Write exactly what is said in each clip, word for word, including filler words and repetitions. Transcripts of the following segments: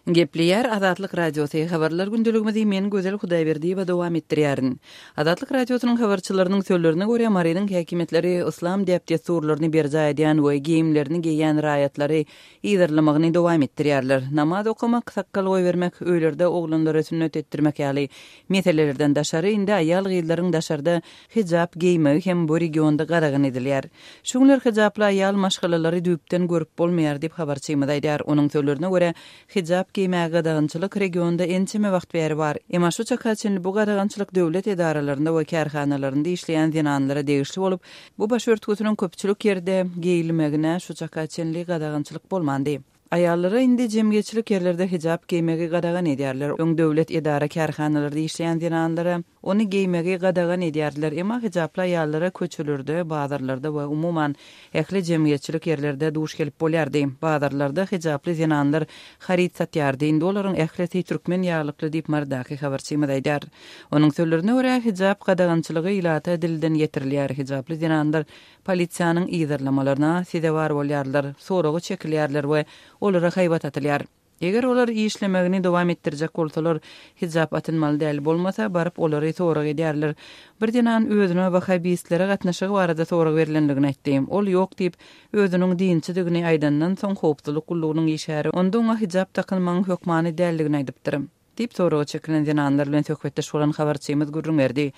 Gepleýär Azatlyk Radiosy, Habarlar gündeligimizi men Gözel Hudaýberdiýewa dowam etdirýärin. Azatlyk Radiosynyň habarçylarynyň sözlerine görä, Marynyň häkimiýetleri yslam däp-dessurlaryny berjaý edýän we geýimlerini geýýän raýatlary yzarlamagyny dowam etdirýärler. Namaz okamak, sakgal goýbermek, öýlerde oglanlara sünnet etdirmek ýaly meselelerden daşary, indi aýal-gyzlaryň daşarda hijap geýmegi hem bu regionda gadagan edilýär. Şu günler hijaply aýal maşgalalary düýpden görüp bolmaýar diýip, habarçymyz aýdýar. Onuň sözlerine görä, hijap geýmäge gadagançylyk regionda ençeme wagt bäri bar. Emma şu çaka çenli bu gadagançylyk döwlet edaralarynda we kärhanalarynda işleýän zenanlara degişli bolup, bu başörtgüsiniň köpçülik ýerde geýilmegine şu çaka çenli gadagançylyk bolmandy. Aýallara indi jemgyýetçilik ýerlerde hijap geýmegi gadagan edýärler. Öň döwlet edara-kärhanalarda işleýän zenanlara ony geýmegi gadagan edýärdiler. Emma hijaply aýallara köçelerde, bazarlarda we umuman ähli jemgyýetçilik ýerlerde duş gelip bolýardy. Bazarlarda hijaply zenanlar haryt satýardy. Indi olaryň ählisi türkmen ýaglykly diýip Marydaky habarçymyz aýdýar. Onuň sözlerine görä, hijap gadagançylygy ilata dilden ýetirilýär. Hijaply zenanlar polisiýanyň yzarlamalaryna sezewar bolýarlar, soraga çekilýärler we olara haýbat atylýar. Eger olar işlemegini dowam etdirjek bolsalar, hijap atynmaly däl, bolmasa baryp olary sorag edýärler. Bir zenan özüne wahabistlere gatnaşygy barada sorag berlendigini aýtdy. Ol ýok diýip, özüniň dinçidigini aýdandan soň howpsuzlyk gullugynyň işgäri onda oňa hijap dakynmagyň hökmany däldigini aýdypdyr. Diýip soraga çekilen zenanlar bilen söhbetdeş bolan habarçymyz gürrüň berdi.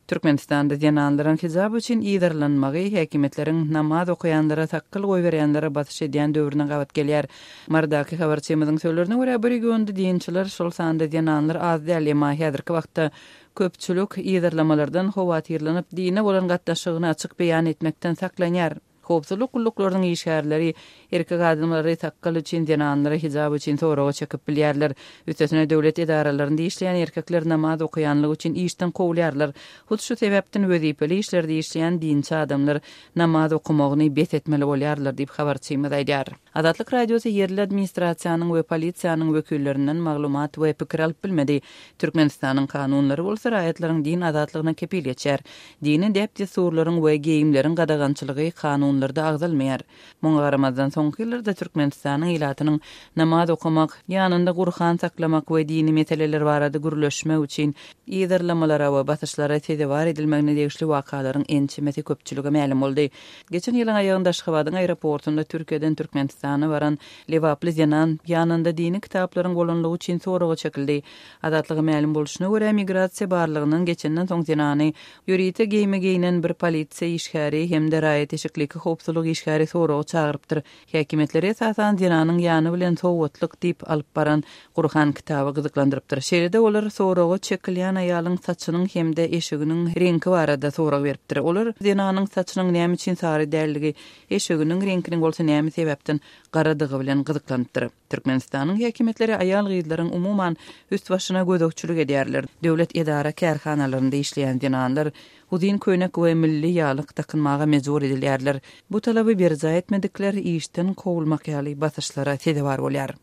Türkmenistanda zenanlaryň hijap üçin yzarlanmagy häkimiýetleriň namaz okaýanlara sakgal goýberýänlere basyş edýän döwrüne gabat gelýär. Marydaky habarçymyzyň sözlerine görä, bu regionda dinçiler, şol sanda zenanlar az däl, emma häzirki wagtda köpçülik yzarlamalardan howatyrlanyp, dine bolan gatnaşygyny açyk beýan etmekden saklanýar. Howpsuzlyk gulluklarynyň işgärleri erkek adamlary sakgal üçin, zenanlary hijap üçin soraga çekip bilýärler. Üstesine döwlet edaralarynda işleýän erkekler namaz okaýanlygy üçin işden kowulýarlar. Hut şu sebäpden wezipeli işlerde işleýän dinçi adamlar namaz okamagyny bes etmeli bolýarlar diýip habarçymyz aýdýar. Azatlyk Radiosy ýerli administrasiýanyň we polisiýanyň wekillerinden maglumat we pikir alyp bilmedi. Türkmenistanyň kanunlary bolsa raýatlaryň din azatlygyna kepil geçýär. Dini däp-dessurlaryň we geýimleriň gadagançylygy kanunlarda agzalmaýar. Muňa garamazdan soňky ýyllarda Türkmenistanyň ilatynyň namaz okamak, ýanynda Gurhan saklamak we dini meseleler barada gürleşmek üçin yzarlamalara we basyşlara sezewar edilmegine degişli wakalaryň ençemesi köpçülige mälim boldy. Geçen ýylyň aýagynda Aşgabadyň aeroportunda Türkiýeden Türkmenistana baran Lebaply zenan ýanynda dini kitaplaryň bolanlygy üçin soraga çekildi. Azatlyga mälim bolşuna görä, migrasiýa barlygyndan geçenden soň zenany ýörite geýime geýinen bir polisiýa işgäri hem-de raýat eşikli iki howpsuzlyk işgäri soraga çagyrypdyr. Häkimiýetleri esasan zenanyň ýany bilen sowgatlyk diýip alyp baran Gurhan kitaby gyzyklandyrypdyr. Şeýle-de olar soraga çekilýän aýalyň saçynyň hem-de eşiginiň reňki barada sorag beripdir. Olar zenanyň saçynyň näme üçin sary däldigi, eşiginiň reňkiniň bolsa näme sebäpden garadygy bilen gyzyklanypdyr. Türkmenistanyň häkimiýetleri aýal-gyzlaryň umuman üst-başyna gözegçilik edýärler. Döwlet edara kärhanalarynda işleýän zenanlar uzyn köýnek we milli ýaglyk dakynmaga mejbur edilýärler. Bu talaby berjaý etmedikler işden kowulmak ýaly basyşlara sezewar bolýar.